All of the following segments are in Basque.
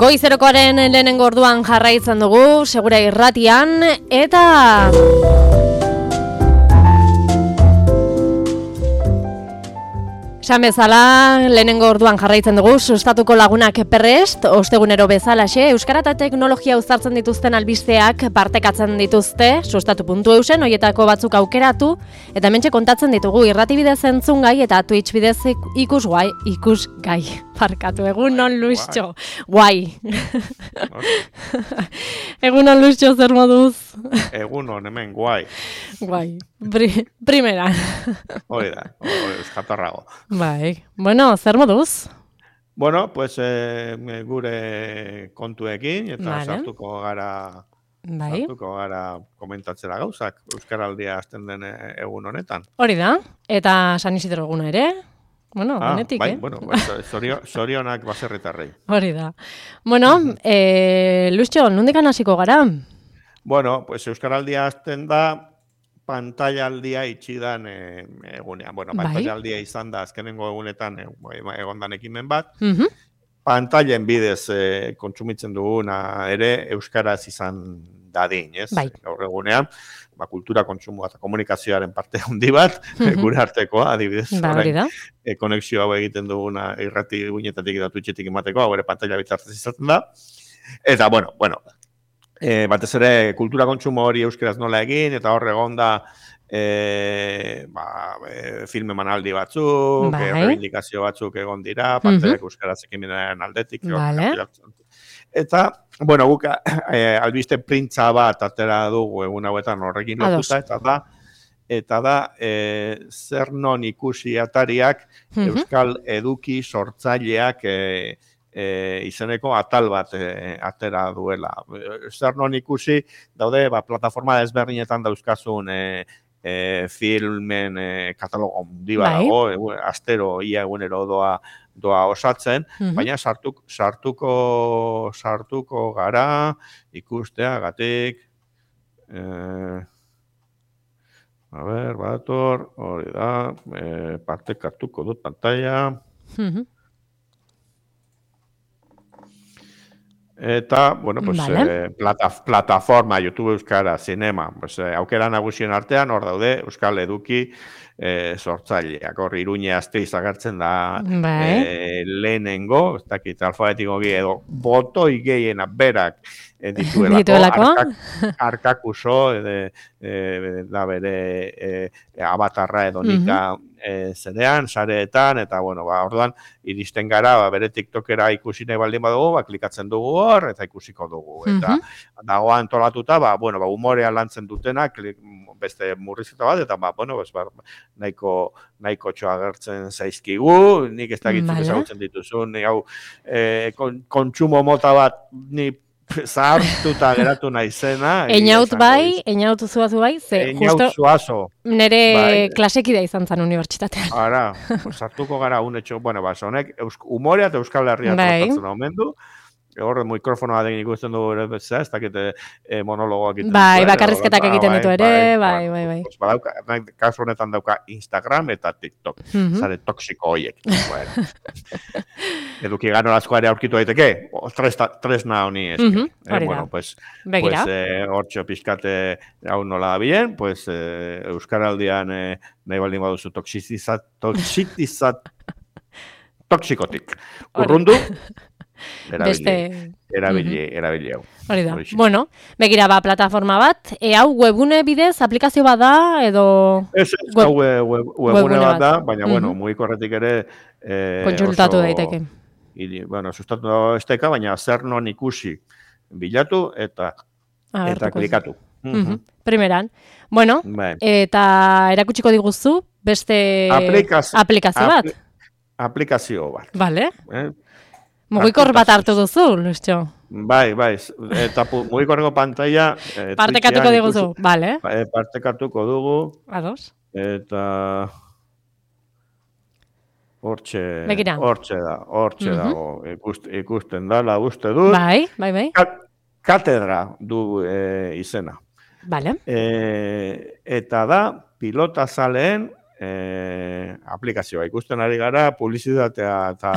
Goizerokoaren lehenengo orduan jarraitzen dugu, Segura Irratian, eta... Esan bezala, lehenengo orduan jarraitzen dugu, sustatuko lagunak prest, ostegunero bezalaxe, euskara eta teknologia uztartzen dituzten albisteak partekatzen dituzte, sustatu.eusen, hoietako batzuk aukeratu, eta hementxe kontatzen ditugu irrati bidez entzun gai eta Twitch bidez ikusgai. Parkatu, egunon Luistxo, guai. Egunon Luistxo, zer moduz? Egunon, hemen, guai. Guai, primera. Hori da, eskatarrago. Bai, bueno, zer moduz? Bueno, pues gure kontuekin, eta sartuko gara komentatzera gauzak, Euskaraldia hasten den egun honetan. Hori da, eta San Isidro eguna ere? Bueno, benetik, bai, bueno, zorionak baserritarrei. Hori da. Bueno, Luistxo, nondikan hasiko gara? Bueno, pues Euskaraldia hasten da, pantailaldia itxidan egunean. Bueno, pantailaldia izan da azkenengo egunetan egondan ekimen bat. Pantailen bidez kontsumitzen duguna ere euskaraz izan dadin, ez? Gaur egunean, kultura kontsumoa eta komunikazioaren parte handi bat, gure artekoa, adibidez, konexio hau egiten duguna irrati guinetatik eta Twitchetik emateko, hau ere pantaila bitartez izaten da. Eta, bueno, batez ere kultura kontsumo hori euskaraz nola egin, eta hor egon da film emanaldi batzuk, reivindikazio batzuk egon dira, pantailak euskaraz ekimenaren aldetik. Eta, bueno, guk albiste printza bat atera dugu egun hauetan horrekin lotuta, eta da zer non ikusi atariak euskal eduki sortzaileak izeneko atal bat atera duela. Zer non ikusi, daude, plataforma ezberdinetan dauzkazun filmen katalogo handi bat dago, astero ia egunero doa osatzen, baina sartuko gara ikusteagatik, badator, hori da, partekatuko dut pantaila. Eta, bueno, pues, plataforma, YouTube Euskara, Zinema, pues, aukera nagusien artean, hor daude, Euskal Eduki sortzaileak, hor Iruñe Asteiz agertzen da lehenengo, ez dakit alfabetikoki edo botoi gehiena berak dituelako, Arkakuso, da bere abatarra edo nika zerean, sareetan, eta, bueno, orduan, iristen gara, bere TikTokera ikusi nahi baldin badugu, klikatzen dugu hor, eta ikusiko dugu. Eta dagoa antolatuta, humorea lantzen dutenak, beste murrizketa bat, eta, nahiko txoa agertzen zaizkigu, nik ez dakitzuk ezagutzen dituzun, kontsumo mota bat, ni zahartuta geratu naizena. Einaut zuazu bai, Einaut zuazo. Nere klasekidea izan zen unibertsitatean. Ara, sartuko gara unetxo, honek humorea eta Euskal Herria tratatzen omendu, hor mikrofonoa den ikusten dugu ere bezala, ez dakite monologoak egiten ditu. Bakarrizketak egiten ditu ere, bai. Kasu honetan dauka Instagram eta TikTok, zare toksiko horiek. Eduki ganolazkoa ere aurkitu daiteke, tresna honi eske. Bueno, pues, hortxo pixkate hau nola da bien, pues, Euskaraldian nahi baldin baduzu toksikotik. Urrundu, erabili hau. Hori da. Bueno, begira plataforma bat, hau webune bidez, aplikazio bat da, edo... Ez, hau webune bat da, baina, mugikorretik ere... Kontsultatu daiteke. Bueno, sustatu esteka, baina zer non ikusi bilatu eta klikatu. Primeran. Bueno, eta erakutsiko diguzu, beste aplikazio bat? Aplikazio bat. Vale. Mugikor bat hartu duzu, Luistxo? Bai, eta mugikorreko pantaila... Partekatuko diguzu, bale. Partekatuko dugu. Ados. Eta... Hortxe dago, ikusten dala, uste dut. Bai. Katedra du izena. Bale. Eta da, pilota zaleen aplikazioa. Ikusten ari gara, publizitatea eta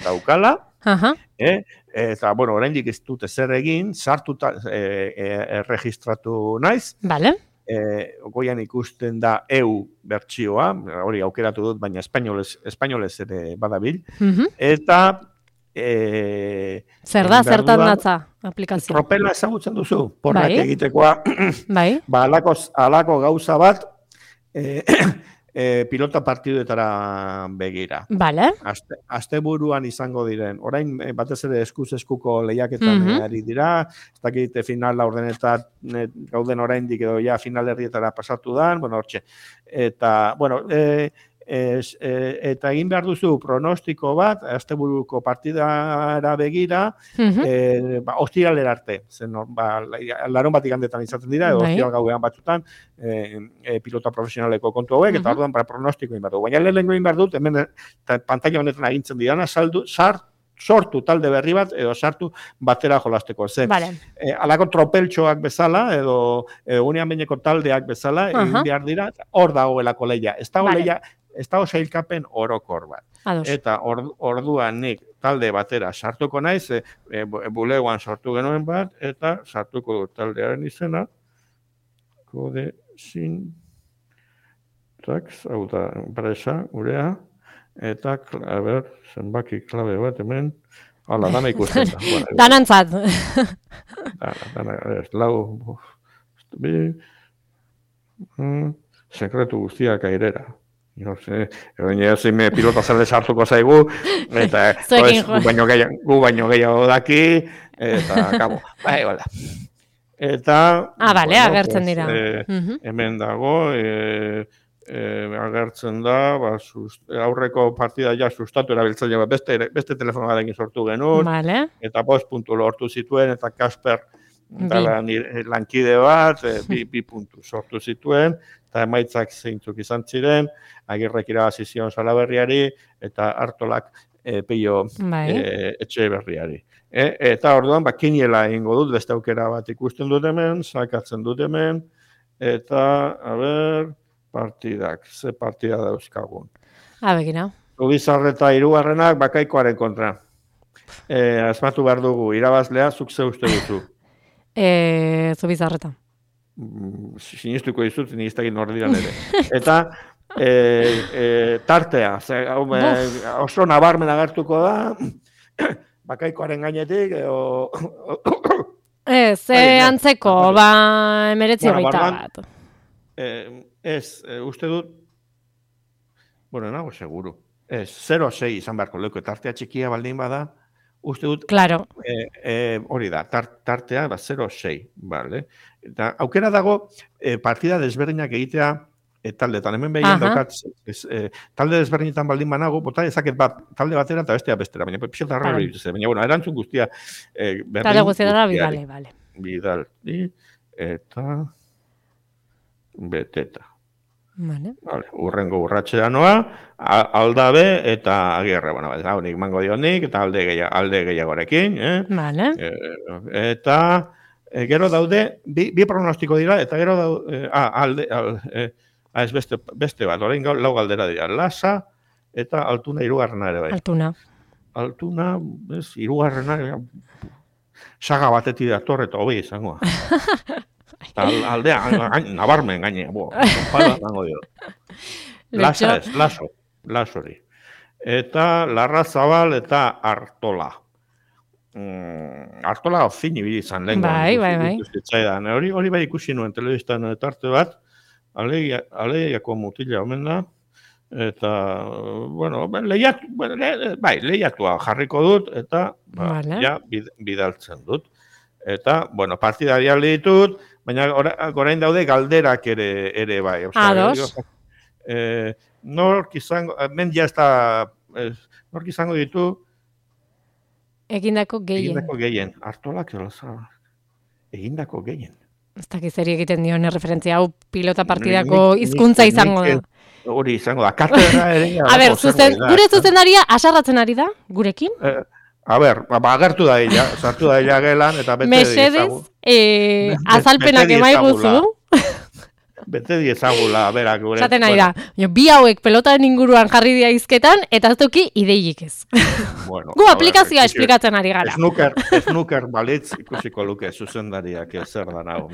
daukala. Eta, bueno, oraindik ez dute zer egin, sartuta erregistratu naiz. Vale. Goian ikusten da EU bertsioa, hori aukeratu dut, baina espainolez ere badabil. Eta zer da, zertan datza aplikazioa? Tropela ezagutzen duzu, porrak egitekoa. Bai. Alako gauza bat, pilota partiduetara begira. Vale. Asteburuan izango diren. Orain batez ere eskuz-eskuko lehiaketan ari dira, ez dakit final laurdenetan gauden oraindik edo ja final herrietara pasatu dan, bueno, hortxe. Eta, bueno, eta egin behar duzu pronostiko bat, asteburuko partidara begira, ostiralera arte. Larun bat igandetan izaten dira, edo ostiral gauean batzutan, pilota profesionaleko kontu hauek, eta orduan pronostiko egin behar du. Baina lehenengo egin behar dut, hemen pantalla honetan agintzen didana, sortu talde berri bat, edo sartu batera jolasteko. Alako tropeltxoak bezala, edo unean behineko taldeak bezala, egin behar dira, hor dagoelako lehia. Ez dago sailkapen orokor bat. Eta orduan nik talde batera sartuko naiz, bulegoan sortu genuen bat, eta sartuko dut taldearen izena, kode sin tax, hau da, enpresa, gurea, eta, a ber, zenbaki klabe bat hemen, hala, dana ikusten da. Danantzat. Lau, sekretu guztiak airera. Zime pilota zerde sartuko zaigu, eta gu baino gehiago daki, eta kabo, bai, bala. Eta, bale, agertzen dira. Hemen dago, agertzen da, aurreko partida ja sustatu erabiltzaile bat, beste telefono batekin sortu genuen, eta 5 puntu lortu zituen, eta Kasper lankide bat, 2 puntu sortu zituen, eta emaitzak zeintzuk izan ziren, Agirrek irabazi zion Salaberriari, eta Artolak Peio etxe berriari. Eta orduan, kiniela egingo dut, beste aukera bat ikusten dut hemen, sakatzen dut hemen, eta, a ber, partidak, ze partida dauzkagun. Begira. Zubizarreta hirugarrenak Bakaikoaren kontra. Asmatu behar dugu, irabazlea, zuk ze uste duzu. Zubizarreta. Sinistuko dizut, ni ez dakit nordiran ere. Eta tartea, oso nabarmen agertuko da, Bakaikoaren gainetik, ze antzeko, 19 bat. Uste dut, bueno, nago seguru, 0-6 izan beharko leuko, tartea txikia baldin bada, uste dut, hori da, tartea 0-6, bale? Eta aukera dago, partida desberdinak egitea taldetan, hemen behien daukat, talde desberdinetan baldin banago, bota ezaket bat, talde batera eta bestea bestera, baina pixeta harra hori dituzte, baina, bueno, erantzun guztia, talde guztietara bidale. Bidal, eta beteta. Urrengo urratxea noa, aldabe eta agirre, bueno, hau nik mango dionik, eta alde gehiagorekin, eta gero daude, bi pronostiko dira, eta gero daude, ez beste bat, orain lau galdera dira, Lasa eta Altuna hirugarrena ere bai. Altuna, hirugarrena, saga batetik dator eta hobi izangoa. Aldea, nabarmen gaine, pala zango dio. Lasa ez, Lasori. Eta Larra Zabal eta Artola. Artola fini bili izan lehen. Bai. Hori bai ikusi nuen telebistan tarte bat, aleiako mutila omen da, eta, bueno, lehiatua jarriko dut, eta ja bidaltzen dut. Eta, bueno, partidari alde ditut, baina orain daude galderak ere bai. Ados. Nork izango ditu egindako gehien. Artolak egindako gehien. Ez dakiz eri egiten dion referentzia, hau pilota partidako hizkuntza izango da. Hori izango da, katedra ere. Gure zuzendaria asarratzen ari da, gurekin? A ber, agertu da ella, sartu da ella gelan, eta bete Mesedez, azalpenak emaiguzu. bete diezagula, berak gure. Zaten nahi da, bi hauek pelotaren inguruan jarri dira izketan, eta ez duki ideiik ez. Gu aplikazioa esplikatzen ari gara. Snooker balitz ikusiko luke zuzendariak zer da nago.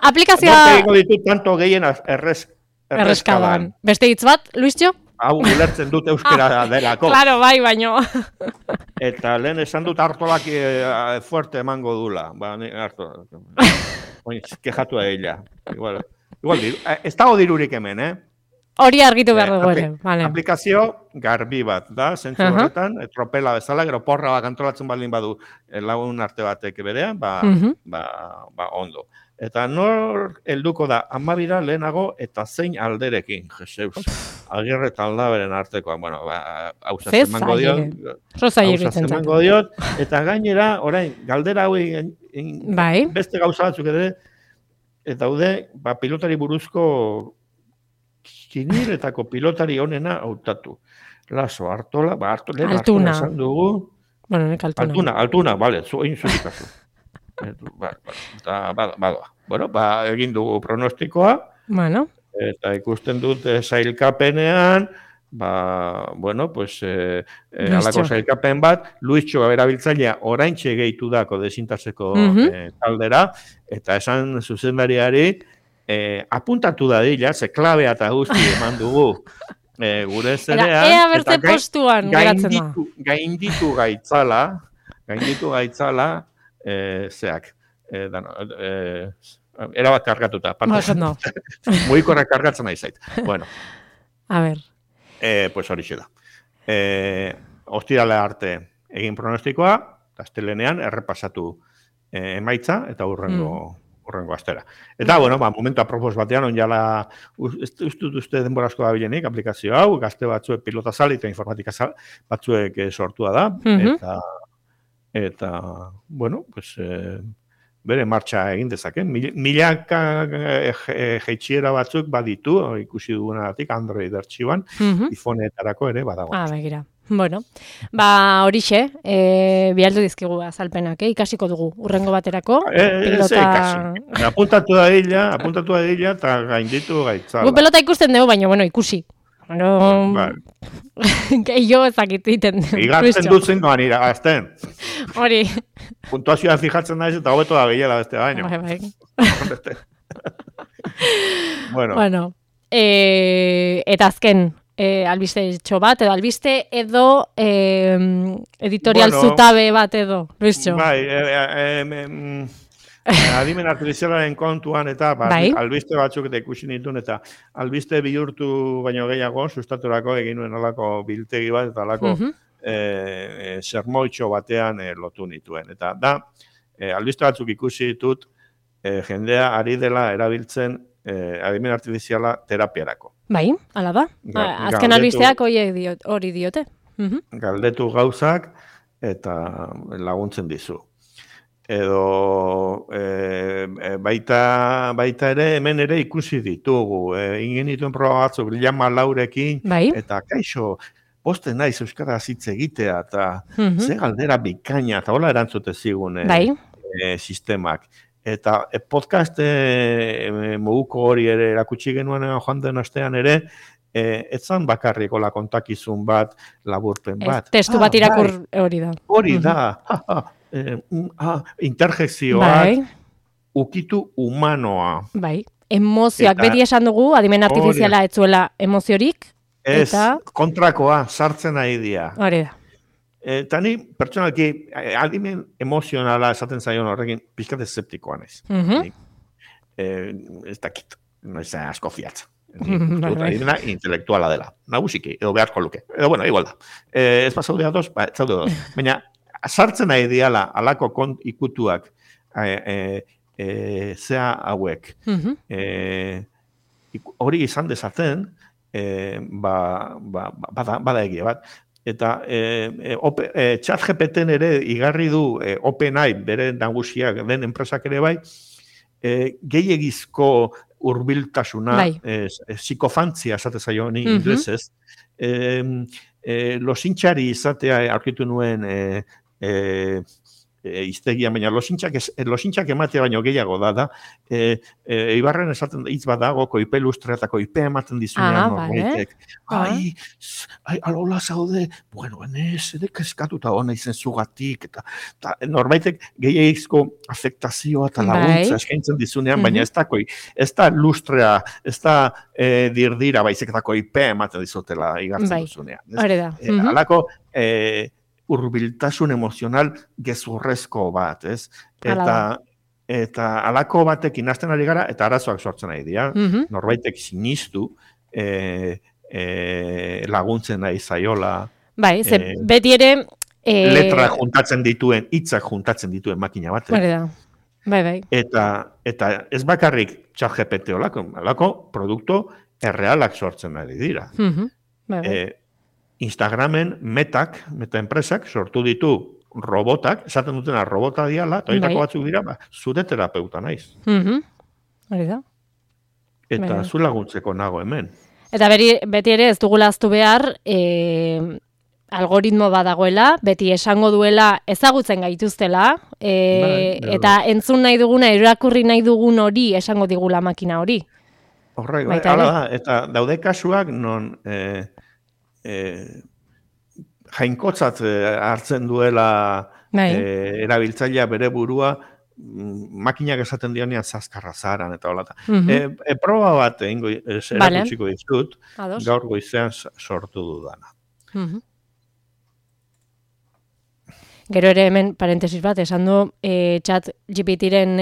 Aplikazioa... Norte ditut tanto gehien erreskadan. Beste hitz bat, Luisio? Hau ulertzen dut euskera delako. Claro, bai, baino. Eta lehen esan dut hartolak fuerte emango dula. Ba, hartolak. Kejatu da ella. Igual, ez dago dirurik hemen, Hori argitu behar dugu ere. Aplikazio garbi bat, da, zentzu horretan, tropela bezala, gero porra bat antolatzen baldin badu lagun arte batek berean, ondo. Eta nor helduko da, 12 lehenago eta zein alderekin, Jeseus. Agirre eta Aldaberen artekoa, bueno, hauza zemango diot, eta gainera, orain, galdera hauei beste gauza batzuk ere, eta daude, pilotari buruzko kiniletako pilotari honena hautatu. Laso, Artola, Altuna esan dugu. Bueno, nek Altuna. Altuna, bale, egin zurikazu. Badoa. Bueno, egin dugu pronostikoa. Bueno. Eta ikusten dut sailkapenean, alako sailkapen bat, Luisio erabiltzailea oraintxe gehitu dako desintatzeko taldera, eta esan zuzendariari, apuntatu da dila, ze klabea eta guzti eman dugu gure zerean. Ea bertze postuan geratzen da. Gainditu gaitzala, zeak. Erabat kargatuta. Mugikorrak kargatzen nahi zait. Bueno. A ver. Pues hori da. Ostirale arte egin pronostikoa, astelenean errepasatu emaitza eta hurrengo astera. Eta, momentu apropos batean, onjala, uste denborazko da bilenik, aplikazio hau, gazte batzuek pilota zali eta informatika batzuek sortua da, eta, bere martxa egin dezake. Milaka jeitxiera batzuk baditu, ikusi dugunatik Android artxiban, iPhoneetarako ere badago. Begira. Bueno, horixe, bialdu dizkigu azalpenak, ikasiko dugu, urrengo baterako. Apuntatu da ella, eta gainditu gaitzala. Gu pelota ikusten dugu, baina, ikusi. Gehiago ezakit egiten. Igatzen dutzen doan iragazten. Hori. Puntuazioa fijatzen naiz eta hobeto da gehiela beste baino. Bai. Bueno. Eta azken, albiste etxo bat, edo albiste edo editorial zutabe bat edo, Luisio. Bai, adimen artifizialaren kontuan eta albiste batzuk eta ikusi nituen eta albiste bihurtu baino gehiago, sustaturako egin nuen alako biltegi bat eta alako sermoitxo batean lotu nituen. Eta da, albiste batzuk ikusi ditut jendea ari dela erabiltzen adimen artifiziala terapiarako. Bai, ala da. Azken albisteak hori diote. Galdetu gauzak eta laguntzen dizu. Edo baita ere hemen ere ikusi ditugu. Ingen dituen proba batzuk Llama Laurekin eta kaixo posten naiz euskaraz hitz egitea eta ze galdera bikaina eta hola erantzute zigun sistemak. Eta podcast moguko hori ere erakutsi genuen joan den astean ere, etzan bakarriko la kontakizun bat, laburpen bat. Testu bat irakur hori da. Hori da. Interjekzioak ukitu humanoa. Bai. Emozioak, beti esan dugu, adimen artifiziala etzuela emoziorik. Ez, kontrakoa, sartzen nahi dia. Hori da. Eta ni, pertsonalki, adimen emozionala esaten zaion horrekin, pixkat eseptikoa naiz. Ez dakit, noiz asko fiatza. Adimena intelektuala dela. Nagusiki, edo beharko luke. Edo, igual da. Ez pasaude ados, ez zaude ados. Baina, sartzen nahi diala, alako ikutuak, zea hauek. Hori izan dezaten, bada egia bat. Eta ChatGPT ere igarri du OpenAI, bere nagusiak den enpresak ere bai, gehiegizko hurbiltasuna, psikofantzia esate zaio ni inglesez, losintxari izatea aurkitu nuen iztegia, baina losintxak ematea baino gehiago da, Ibarren esaten hitz badago, koipe lustre eta koipe ematen dizunean norbaitek. Ai, alola zaude, bueno, edek eskatuta hona izen zugatik, eta norbaitek gehiagizko afektazioa eta laguntza eskaintzen dizunean, baina ez da lustrea, ez da dirdira, baizik eta koipe ematen dizutela igartzen duzunean. Halako, hurbiltasun emozional gezurrezko bat, ez? Eta halako batekin hasten ari gara, eta arazoak sortzen ari dira. Norbaitek sinistu laguntzen nahi zaiola. Bai, beti ere... Letra juntatzen dituen, hitzak juntatzen dituen makina bat. Bai. Eta ez bakarrik ChatGPT halako produktu errealak sortzen ari dira. Instagramen meta enpresak sortu ditu robotak, esaten dutena robota diala, eta horietako batzuk dira, zure terapeuta naiz. Eta zu laguntzeko nago hemen. Eta beti ere ez dugula aztu behar, algoritmo badagoela, beti esango duela ezagutzen gaituztela, eta entzun nahi duguna, irakurri nahi dugun hori esango digula makina hori. Horrek, hala da, eta daude kasuak non... jainkotzat hartzen duela erabiltzailea bere burua makinak esaten dionean zaskarra zaran eta holata. Proba bat erakutsiko dizut, gaur goizean sortu dudana. Gero ere hemen parentesis bat, esan du ChatGPT-ren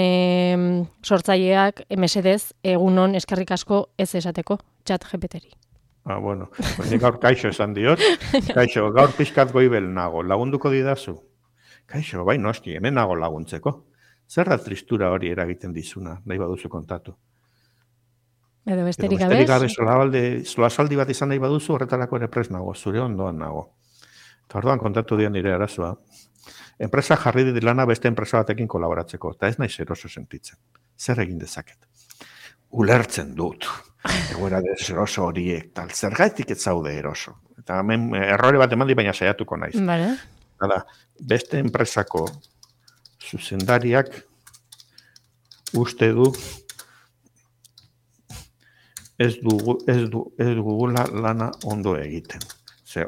sortzaileak mesedez egunon eskerrik asko ez esateko ChatGPT-ri. Bueno, nik gaur kaixo esan diot. Kaixo, gaur pixkat goibel nago, lagunduko didazu. Kaixo, bai noski, hemen nago laguntzeko. Zer da tristura hori eragiten dizuna, nahi baduzu kontatu. Edo besterik gabe. Solasaldi bat izan nahi baduzu, horretarako ere prest nago, zure ondoan nago. Eta orduan kontatu dian nire arazoa. Enpresa jarri dit lana beste enpresa batekin kolaboratzeko, eta ez naiz eroso sentitzen. Zer egin dezaket? Ulertzen dut. Egoera deseroso horiek, tal, zergaitik ez zaude eroso. Eta hemen errore bat eman di, baina saiatuko naiz. Beste enpresako zuzendariak uste du ez dugula lana ondo egiten.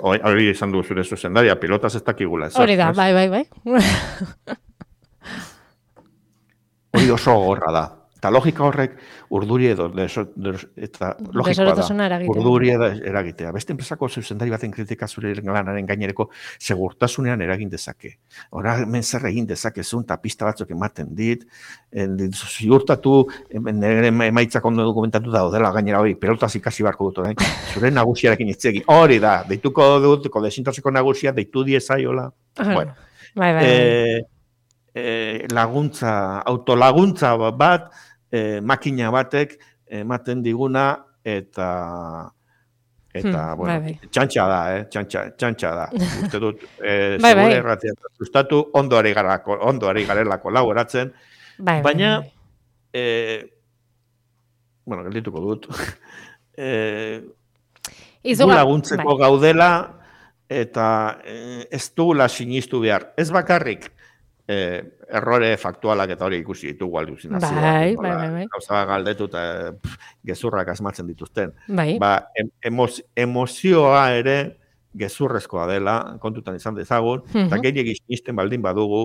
Hori izan du zure zuzendaria, pilotaz ez dakigula. Hori da, bai. Hori oso gorra da. Eta logika horrek urduri edo, eta logikoa da, urduri edo eragitea. Beste enpresako zuzendari baten kritika zure lanaren gainereko segurtasunean eragin dezake. Hora, hemen zer egin dezakezun, eta pista batzuk ematen dit, ziurtatu, emaitzak ondo dokumentatu daudela gainera hori, pelotaz ikasi barko dut, zure nagusiarekin itzegi. Hori da, deituko dut, desintoxiko nagusia, deitu diezaiola. Bueno, laguntza, autolaguntza bat, makina batek ematen diguna eta bueno, txantxa da. Uste dut, segure erratia sustatu, ondo ari garela kolaboratzen, baina, bueno, geldituko dut, gu laguntzeko gaudela eta ez dugula sinistu behar. Ez bakarrik, errore faktualak eta hori ikusi ditugu aluzinazioa. Bai. Gauza galdetu eta gezurrak asmatzen dituzten. Emozioa ere gezurrezkoa dela, kontutan izan dezagun, eta gehiagik sinisten baldin badugu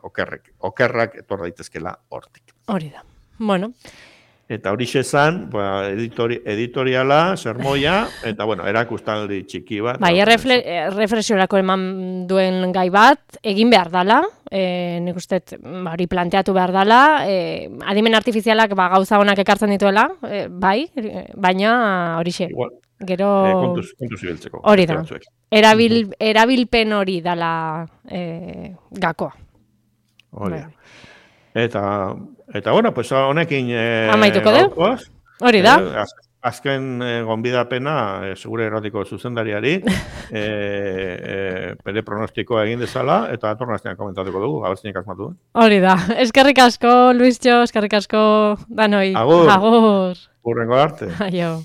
okerrak etor daitezkela hortik. Hori da. Bueno. Eta hori xezan, editoriala, sermoia, eta bueno, erakustaldi txiki bat. Bai, reflexiorako eman duen gai bat, egin behar dala, nik uste hori planteatu behar dala, adimen artifizialak gauza honak ekartzen dituela, bai, baina hori xe. Gero... Kontuz ibiltzeko. Hori da. Erabilpen hori dala gakoa. Hori da. Eta bueno, pues honekin amaituko dugu. Hori da. Azken gonbidapena segure erratiko zuzendariari bere pronostikoa egin dezala eta atornaztean komentatuko dugu, abertzinik asmatu. Hori da. Eskerrik asko, Luistxo, eskerrik asko danoi. Agur. Urrengo arte. Aio.